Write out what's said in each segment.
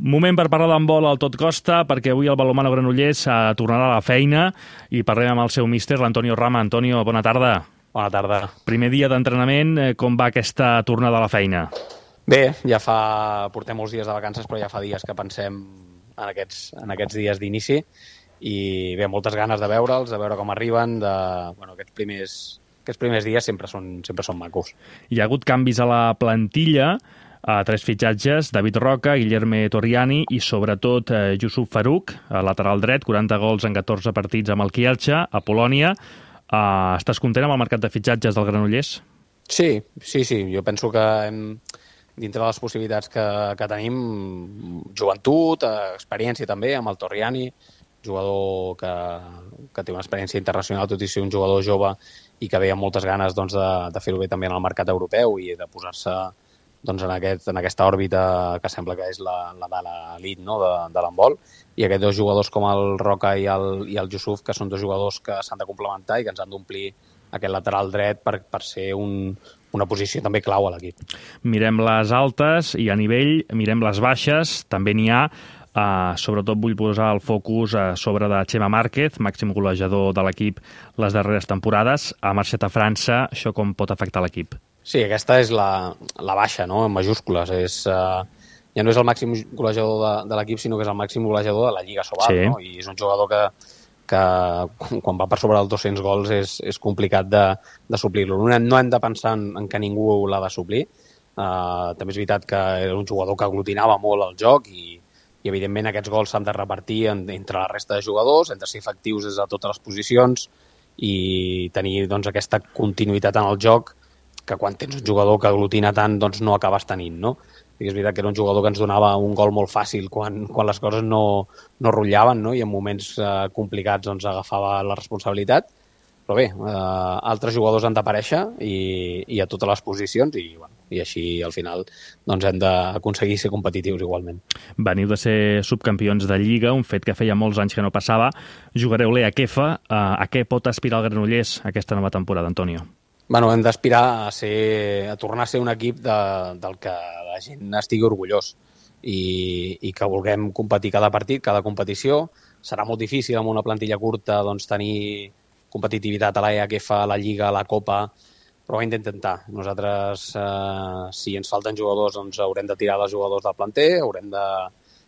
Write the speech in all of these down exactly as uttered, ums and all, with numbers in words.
Moment per parlar d'handbol al Tot Costa, perquè avui el balonmano Granollers tornarà a la feina i parlem amb el seu míster, l'Antonio Rama. Antonio, bona tarda. Bona tarda. Primer dia d'entrenament, com va aquesta tornada a la feina? Bé, ja fa... portem molts dies de vacances, però ja fa dies que pensem en aquests, en aquests dies d'inici i bé, moltes ganes de veure'ls, de veure com arriben, de... bueno, aquests primers, aquests primers dies sempre són, sempre són macos. Hi ha hagut canvis a la plantilla, a tres fitxatges, David Roca, Guillerme Torriani i sobretot eh, Yusuf Farouk, a lateral dret, quaranta gols en catorze partits amb el Kielce, a Polònia. Uh, estàs content amb el mercat de fitxatges del Granollers? Sí, sí, sí. Jo penso que hem, dintre de les possibilitats que, que tenim, joventut, experiència també, amb el Torriani, jugador que, que té una experiència internacional, tot i ser un jugador jove i que ve amb moltes ganes doncs, de, de fer-ho bé també en el mercat europeu i de posar-se doncs, en, aquest, en aquesta òrbita que sembla que és la, la de l'elit, no? de, de l'handbol, i aquests dos jugadors com el Roca i el, i el Yusuf, que són dos jugadors que s'han de complementar i que ens han d'omplir aquest lateral dret per, per ser un, una posició també clau a l'equip. Mirem les altes i a nivell, mirem les baixes, també n'hi ha. Uh, sobretot vull posar el focus a sobre de Chema Márquez, màxim golejador de l'equip les darreres temporades. Ha marxat a França, això com pot afectar l'equip? Sí, aquesta és la, la baixa, no?, en majúscules. És, uh, ja no és el màxim golejador de, de l'equip, sinó que és el màxim golejador de la Lliga Sobal, sí. No? I és un jugador que, que quan va per sobre dels dos-cents gols és, és complicat de, de suplir-lo. No, no hem de pensar en, en que ningú l'ha de suplir. Uh, també és veritat que era un jugador que aglutinava molt el joc i, i evidentment aquests gols s'han de repartir en, entre la resta de jugadors, hem de ser efectius des de totes les posicions i tenir doncs, aquesta continuïtat en el joc que quan tens un jugador que aglutina tant doncs no acabes tenint, no? I és veritat que era un jugador que ens donava un gol molt fàcil quan, quan les coses no, no rotllaven, no? I en moments eh, complicats doncs, agafava la responsabilitat. Però bé, eh, altres jugadors han d'aparèixer i, i a totes les posicions i, bueno, i així al final doncs, hem d'aconseguir ser competitius igualment. Veniu de ser subcampions de Lliga, un fet que feia molts anys que no passava. Jugareu l'E A C F. Eh, a què pot aspirar el Granollers aquesta nova temporada, Antonio? Bueno, hem d'aspirar a, ser, a tornar a ser un equip de, del que la gent estigui orgullós i, i que vulguem competir cada partit, cada competició. Serà molt difícil amb una plantilla curta doncs, tenir competitivitat a l'E A C F, a la Lliga, a la Copa, però ho hem d'intentar. Nosaltres, eh, si ens falten jugadors, doncs haurem de tirar els jugadors del planter, haurem de,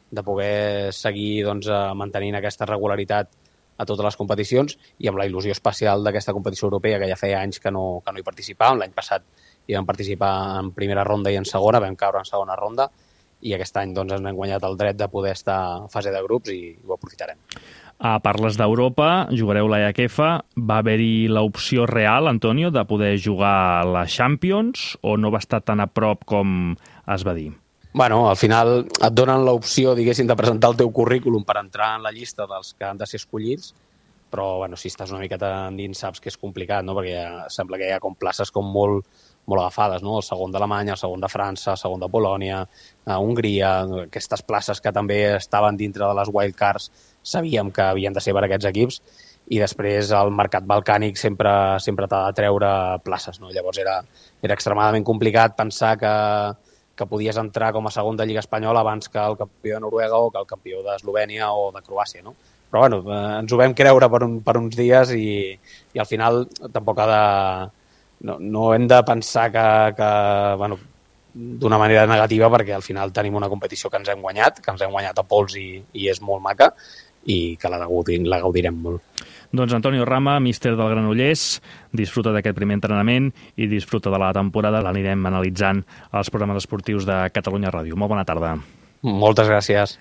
de poder seguir doncs, mantenint aquesta regularitat a totes les competicions i amb la il·lusió especial d'aquesta competició europea que ja feia anys que no, que no hi participàvem. L'any passat hi vam participar en primera ronda i en segona, vam caure en segona ronda i aquest any doncs, ens hem guanyat el dret de poder estar en fase de grups i ho aprofitarem. Ah, parles d'Europa, jugareu l'E A C F. Va haver-hi l'opció real, Antonio, de poder jugar la Champions o no va estar tan a prop com es va dir? Bueno, al final et donen l'opció, diguéssim, de presentar el teu currículum per entrar en la llista dels que han de ser escollits, però bueno, si estàs una miqueta endins saps que és complicat, no? Perquè ja, sembla que hi ha com places com molt, molt agafades, no? El segon d'Alemanya, el segon de França, el segon de Polònia, a Hongria, aquestes places que també estaven dintre de les wildcards sabíem que havien de ser per aquests equips i després el mercat balcànic sempre, sempre t'ha de treure places, no? Llavors era, era extremadament complicat pensar que que podies entrar com a segon de Lliga Espanyola abans que el campió de Noruega o que el campió d'Eslovènia o de Croàcia, no? Però bueno, eh, ens ho vam creure per, un, per uns dies i, i al final tampoc ha de... No, no hem de pensar que, que bueno, d'una manera negativa perquè al final tenim una competició que ens hem guanyat, que ens hem guanyat a pols i, i és molt maca i que la, la gaudirem molt. Doncs Antonio Rama, míster del Granollers, disfruta d'aquest primer entrenament i disfruta de la temporada. L'anirem analitzant als programes esportius de Catalunya Ràdio. Molt bona tarda. Moltes gràcies.